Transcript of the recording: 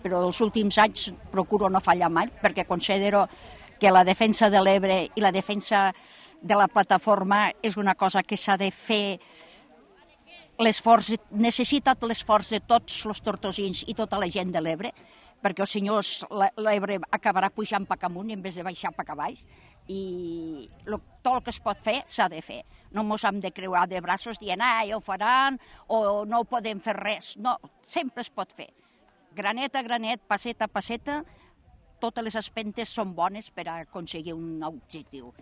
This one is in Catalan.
però els últims anys procuro no fallar mai, perquè considero que la defensa de l'Ebre i la defensa de la plataforma és una cosa que s'ha de fer l'esforç, necessita l'esforç de tots els tortosins i tota la gent de l'Ebre, perquè els senyors l'Ebre acabarà pujant per amunt en vez de baixar per baix, i tot el que es pot fer s'ha de fer. No ens hem de creuar de braços dient ja ho faran o no podem fer res. No, sempre es pot fer. Granet a granet, passeta a passeta, totes les espentes són bones per aconseguir un objectiu.